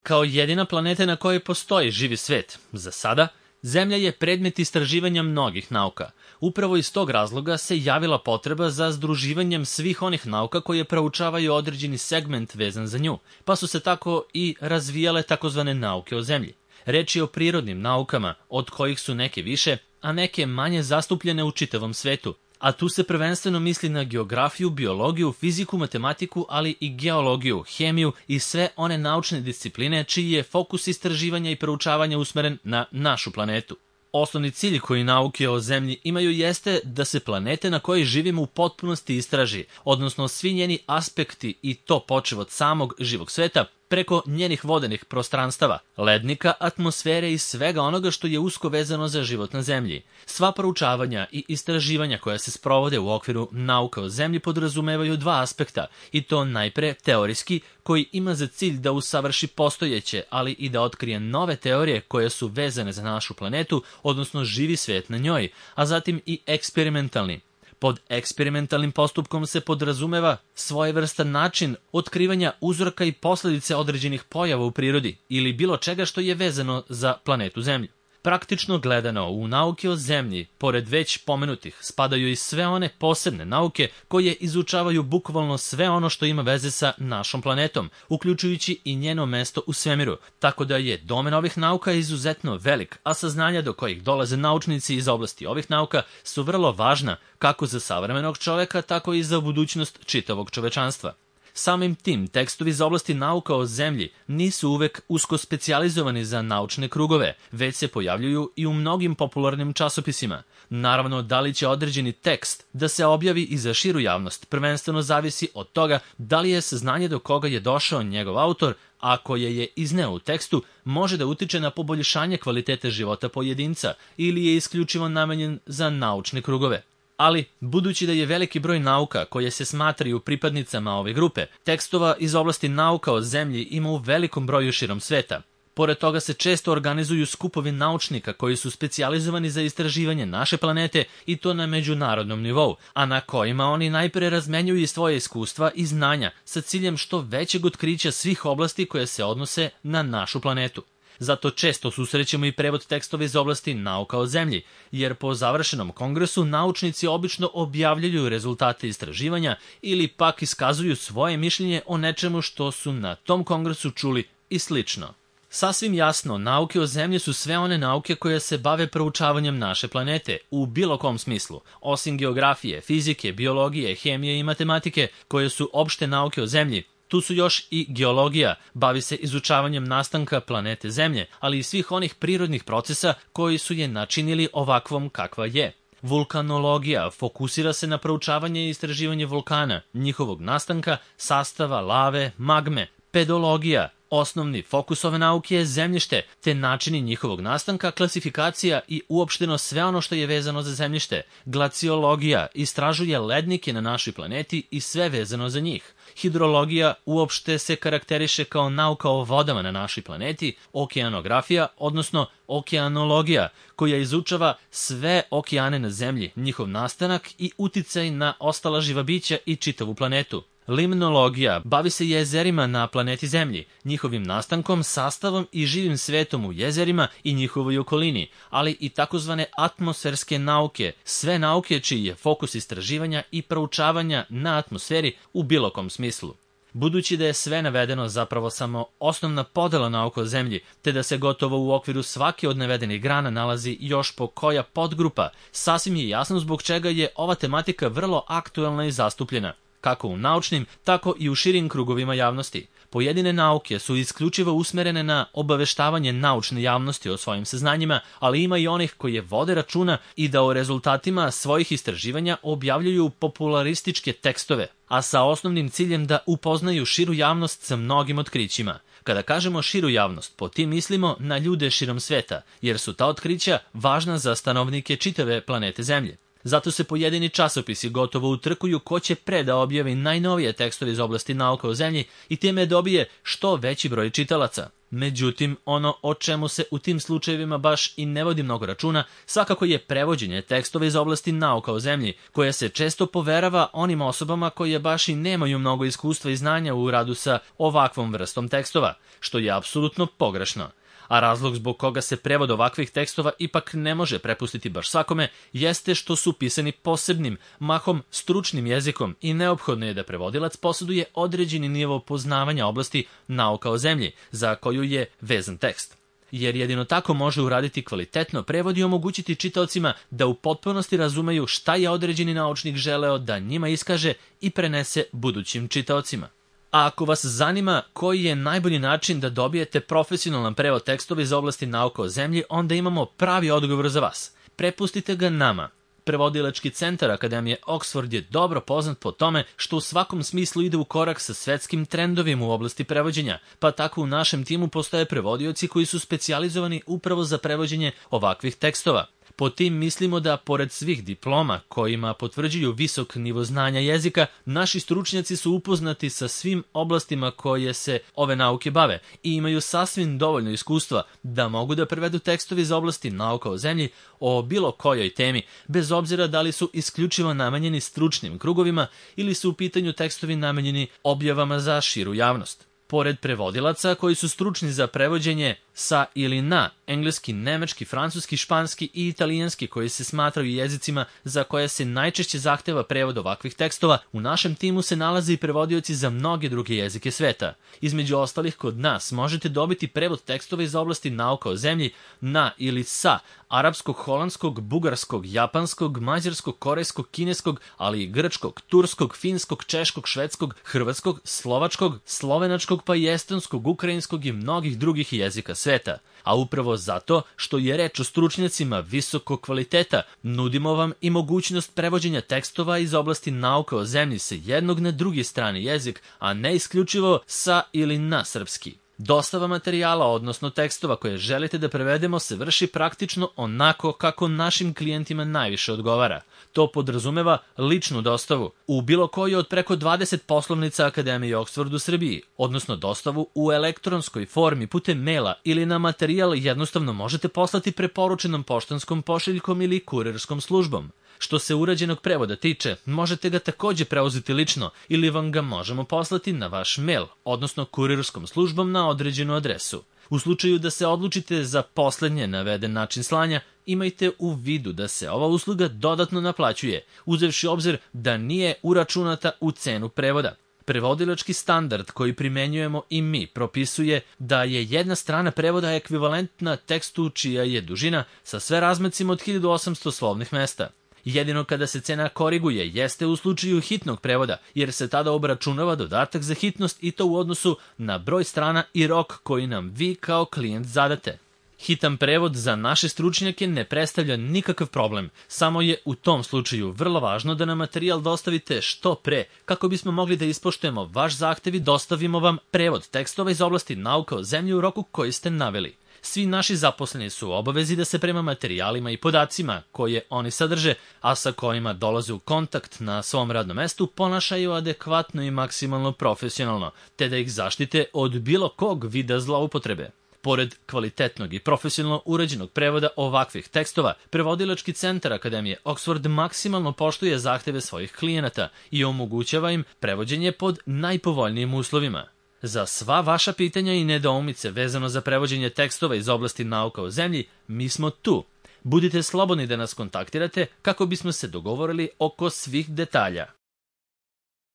Kao jedina planeta na kojoj postoji živi svet, za sada, Zemlja je predmet istraživanja mnogih nauka. Upravo iz tog razloga se javila potreba za združivanjem svih onih nauka koje proučavaju određeni segment vezan za nju, pa su se tako i razvijale takozvane nauke o Zemlji. Reč je o prirodnim naukama, od kojih su neke više, a neke manje zastupljene u čitavom svetu. A tu se prvenstveno misli na geografiju, biologiju, fiziku, matematiku, ali i geologiju, hemiju i sve one naučne discipline čiji je fokus istraživanja i proučavanja usmeren na našu planetu. Osnovni cilj koji nauke o Zemlji imaju jeste da se planete na kojoj živimo u potpunosti istraži, odnosno svi njeni aspekti i to počev od samog živog sveta, preko njenih vodenih prostranstava, lednika, atmosfere i svega onoga što je usko vezano za život na Zemlji. Sva proučavanja i istraživanja koja se sprovode u okviru nauka o Zemlji podrazumevaju dva aspekta, i to najpre teorijski, koji ima za cilj da usavrši postojeće, ali i da otkrije nove teorije koje su vezane za našu planetu, odnosno živi svijet na njoj, a zatim i eksperimentalni. Pod eksperimentalnim postupkom se podrazumeva svojevrstan način otkrivanja uzroka i posljedice određenih pojava u prirodi ili bilo čega što je vezano za planetu Zemlju. Praktično gledano, u nauke o Zemlji, pored već pomenutih, spadaju i sve one posebne nauke koje izučavaju bukvalno sve ono što ima veze sa našom planetom, uključujući i njeno mesto u svemiru, tako da je domen ovih nauka izuzetno velik, a saznanja do kojih dolaze naučnici iz oblasti ovih nauka su vrlo važna kako za savremenog čoveka, tako i za budućnost čitavog čovečanstva. Samim tim, tekstovi iz oblasti nauka o Zemlji nisu uvek usko specijalizovani za naučne krugove, već se pojavljuju i u mnogim popularnim časopisima. Naravno, da li će određeni tekst da se objavi i za širu javnost, prvenstveno zavisi od toga da li je saznanje do koga je došao njegov autor, a koje je izneo u tekstu, može da utiče na poboljšanje kvalitete života pojedinca ili je isključivo namenjen za naučne krugove. Ali, budući da je veliki broj nauka koje se smatraju pripadnicama ove grupe, tekstova iz oblasti nauka o Zemlji ima u velikom broju širom sveta. Pored toga se često organizuju skupovi naučnika koji su specijalizovani za istraživanje naše planete i to na međunarodnom nivou, a na kojima oni najpre razmenjuju i svoje iskustva i znanja sa ciljem što većeg otkrića svih oblasti koje se odnose na našu planetu. Zato često susrećemo i prevod tekstova iz oblasti nauka o Zemlji, jer po završenom kongresu naučnici obično objavljuju rezultate istraživanja ili pak iskazuju svoje mišljenje o nečemu što su na tom kongresu čuli i slično. Sasvim jasno, nauke o Zemlji su sve one nauke koje se bave proučavanjem naše planete, u bilo kom smislu, osim geografije, fizike, biologije, hemije i matematike, koje su opšte nauke o Zemlji. Tu su još i geologija, bavi se izučavanjem nastanka planete Zemlje, ali i svih onih prirodnih procesa koji su je načinili ovakvom kakva je. Vulkanologija fokusira se na proučavanje i istraživanje vulkana, njihovog nastanka, sastava, lave, magme. Pedologija, osnovni fokus ove nauke je zemljište, te načini njihovog nastanka, klasifikacija i uopšteno sve ono što je vezano za zemljište. Glaciologija istražuje lednike na našoj planeti i sve vezano za njih. Hidrologija uopšte se karakteriše kao nauka o vodama na našoj planeti, okeanografija, odnosno okeanologija, koja izučava sve okeane na Zemlji, njihov nastanak i uticaj na ostala živa bića i čitavu planetu. Limnologija bavi se jezerima na planeti Zemlji, njihovim nastankom, sastavom i živim svetom u jezerima i njihovoj okolini, ali i takozvane atmosferske nauke, sve nauke čiji je fokus istraživanja i proučavanja na atmosferi u bilo kom smislu. Budući da je sve navedeno zapravo samo osnovna podela nauka o Zemlji, te da se gotovo u okviru svake od navedenih grana nalazi još po koja podgrupa, sasvim je jasno zbog čega je ova tematika vrlo aktuelna i zastupljena, kako u naučnim, tako i u širim krugovima javnosti. Pojedine nauke su isključivo usmerene na obaveštavanje naučne javnosti o svojim saznanjima, ali ima i onih koje vode računa i da o rezultatima svojih istraživanja objavljuju popularističke tekstove, a sa osnovnim ciljem da upoznaju širu javnost sa mnogim otkrićima. Kada kažemo širu javnost, po tim mislimo na ljude širom sveta, jer su ta otkrića važna za stanovnike čitave planete Zemlje. Zato se pojedini časopisi gotovo utrkuju ko će pre da objavi najnovije tekstove iz oblasti nauka o zemlji i time dobije što veći broj čitalaca. Međutim, ono o čemu se u tim slučajevima baš i ne vodi mnogo računa, svakako je prevođenje tekstova iz oblasti nauka o zemlji, koja se često poverava onim osobama koje baš i nemaju mnogo iskustva i znanja u radu sa ovakvom vrstom tekstova, što je apsolutno pogrešno. A razlog zbog koga se prevod ovakvih tekstova ipak ne može prepustiti baš svakome, jeste što su pisani posebnim, mahom stručnim jezikom i neophodno je da prevodilac posjeduje određeni nivo poznavanja oblasti nauka o zemlji, za koju je vezan tekst. Jer jedino tako može uraditi kvalitetno prevod i omogućiti čitaocima da u potpunosti razumeju šta je određeni naučnik želeo da njima iskaže i prenese budućim čitaocima. A ako vas zanima koji je najbolji način da dobijete profesionalan prevod tekstova iz oblasti nauka o zemlji, onda imamo pravi odgovor za vas. Prepustite ga nama. Prevodilački centar Akademije Oxford je dobro poznat po tome što u svakom smislu ide u korak sa svetskim trendovima u oblasti prevođenja, pa tako u našem timu postoje prevodioci koji su specijalizovani upravo za prevođenje ovakvih tekstova. Po tim mislimo da, pored svih diploma kojima potvrđuju visok nivo znanja jezika, naši stručnjaci su upoznati sa svim oblastima koje se ove nauke bave i imaju sasvim dovoljno iskustva da mogu da prevedu tekstovi iz oblasti nauka o zemlji o bilo kojoj temi, bez obzira da li su isključivo namenjeni stručnim krugovima ili su u pitanju tekstovi namenjeni objavama za širu javnost. Pored prevodilaca koji su stručni za prevođenje sa ili na engleski, nemački, francuski, španski i italijanski, koji se smatraju jezicima za koje se najčešće zahteva prevod ovakvih tekstova, u našem timu se nalaze i prevodioci za mnoge druge jezike sveta. Između ostalih, kod nas možete dobiti prevod tekstova iz oblasti nauka o zemlji na ili sa arapskog, holandskog, bugarskog, japanskog, mađarskog, korejskog, kineskog, ali i grčkog, turskog, finskog, češkog, švedskog, hrvatskog, slovačkog, slovenačkog, pa i estonskog, ukrajinskog i mnogih drugih jezika sveta. A upravo zato što je reč o stručnjacima visokog kvaliteta, nudimo vam i mogućnost prevođenja tekstova iz oblasti nauka o zemlji sa jednog na drugi strani jezik, a ne isključivo sa ili na srpski. Dostava materijala, odnosno tekstova koje želite da prevedemo, se vrši praktično onako kako našim klijentima najviše odgovara. To podrazumeva ličnu dostavu u bilo kojoj od preko 20 poslovnica Akademije Oxford u Srbiji, odnosno dostavu u elektronskoj formi putem maila ili na materijal jednostavno možete poslati preporučenom poštanskom pošiljkom ili kurirskom službom. Što se urađenog prevoda tiče, možete ga takođe preuzeti lično ili vam ga možemo poslati na vaš mail, odnosno kurirskom službom na određenu adresu. U slučaju da se odlučite za poslednje naveden način slanja, imajte u vidu da se ova usluga dodatno naplaćuje, uzevši obzir da nije uračunata u cenu prevoda. Prevodilački standard koji primenjujemo i mi propisuje da je jedna strana prevoda ekvivalentna tekstu čija je dužina sa sve razmacima od 1800 slovnih mesta. Jedino kada se cena koriguje jeste u slučaju hitnog prevoda, jer se tada obračunava dodatak za hitnost i to u odnosu na broj strana i rok koji nam vi kao klijent zadate. Hitan prevod za naše stručnjake ne predstavlja nikakav problem, samo je u tom slučaju vrlo važno da nam materijal dostavite što pre, kako bismo mogli da ispoštujemo vaš zahtev i dostavimo vam prevod tekstova iz oblasti nauka o zemlji u roku koji ste naveli. Svi naši zaposleni su u obavezi da se prema materijalima i podacima koje oni sadrže, a sa kojima dolaze u kontakt na svom radnom mestu, ponašaju adekvatno i maksimalno profesionalno, te da ih zaštite od bilo kog vida zloupotrebe. Pored kvalitetnog i profesionalno urađenog prevoda ovakvih tekstova, prevodilački centar Akademije Oxford maksimalno poštuje zahteve svojih klijenata i omogućava im prevođenje pod najpovoljnijim uslovima. Za sva vaša pitanja i nedoumice vezano za prevođenje tekstova iz oblasti nauka o zemlji, mi smo tu. Budite slobodni da nas kontaktirate kako bismo se dogovorili oko svih detalja.